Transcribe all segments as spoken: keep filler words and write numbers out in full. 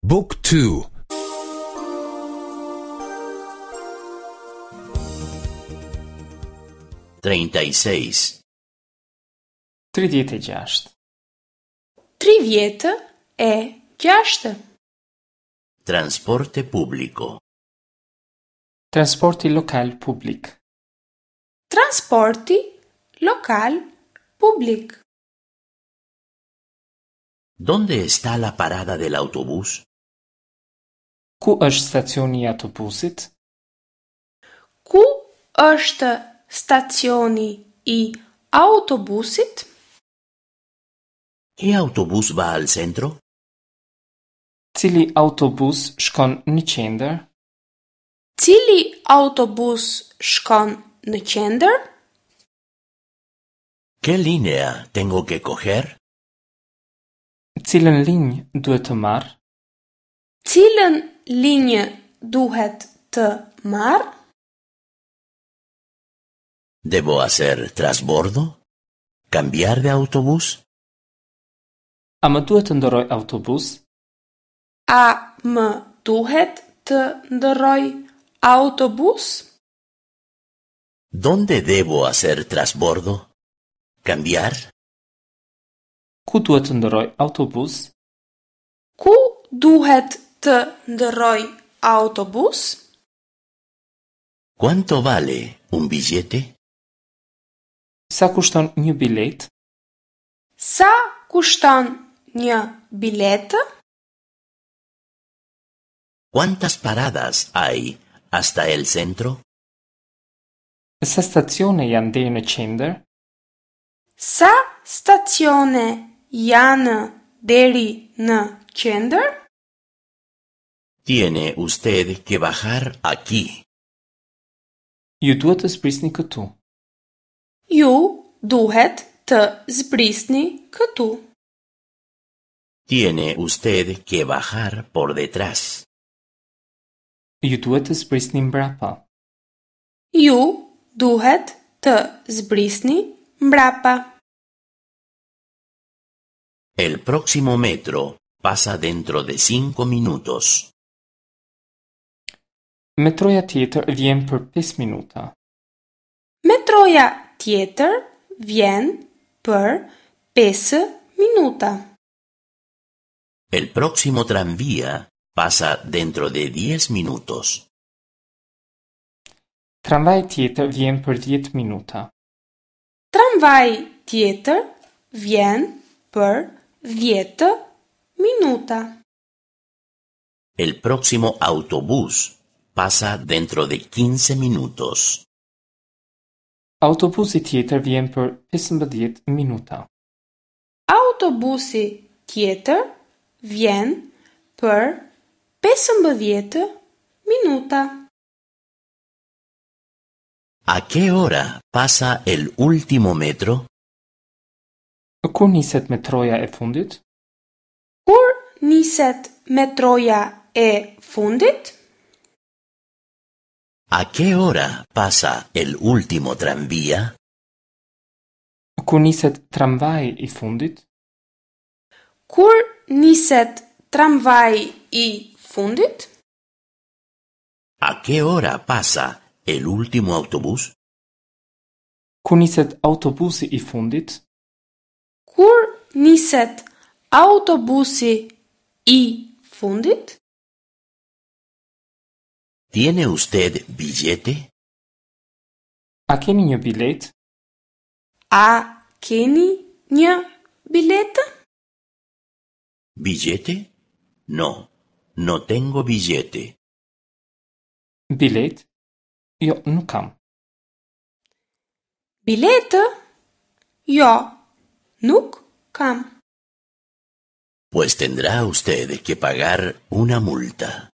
Book two. Treinta y seis. Tridhjetë e gjashtë. Tridhjetë e gjashtë. Transporte público. Transporti lokal publik. Transporti lokal publik. ¿Dónde está la parada del autobús? Ku është stacioni i autobusit? Ku është stacioni i autobusit? ¿Qué autobús va al centro? Cili autobus shkon në qendër? Cili autobus shkon në qendër? ¿Qué línea tengo que coger? Cilën linjë duhet të marr? Cilën linjë duhet të marr? ¿Debo hacer trasbordo? ¿Cambiar de autobús? A më duhet të ndërroj autobus? A më duhet të ndërroj autobus? ¿Dónde debo hacer trasbordo? ¿Cambiar? Ku duhet të ndërroj autobus? Ku duhet të ndërroj autobus? ¿Cuánto vale un billete? Sa kushton një bilet? Sa kushton një biletë? ¿Cuántas paradas hay hasta el centro? Sa stacione janë deri në qendër? Sa stacione janë deri në qendër? Tiene usted que bajar aquí. Ju duhet të zbrisni këtu. Ju duhet të zbrisni këtu. Tiene usted que bajar por detrás. Ju duhet të zbrisni mbrapa. Ju duhet të zbrisni mbrapa. El próximo metro pasa dentro de cinco minutos. Metroja tjetër vjen për pesë minuta. Metroja tjetër vjen për pesë minuta. El próximo tranvía pasa dentro de diez minutos. Tramvaji tjetër vjen për dhjetë minuta. Tramvaji tjetër vjen për dhjetë minuta. El próximo autobús pasa dentro de quince minutos. Autobusi tjetër vjen për pesëmbëdhjetë minuta. Autobusi tjetër vjen për pesëmbëdhjetë minuta. ¿A qué hora pasa el último metro? Kur niset metroja e fundit? Kur niset metroja e fundit? ¿A qué hora pasa el último tranvía? Kur niset tramvaji i fundit? Kur niset tramvaji i fundit? ¿A qué hora pasa el último autobús? Kur niset autobusi i fundit? Kur niset autobusi i fundit? ¿Tiene usted billete? A keni një bilet? A keni një biletë? ¿Billete? No, no tengo billete. Bilet? Jo, nuk kam. Biletë? Jo, nuk kam. Pues tendrá usted que pagar una multa.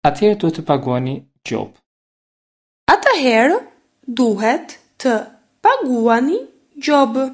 Atëherë duhet të paguani gjobë. Atëherë duhet të paguani gjobë.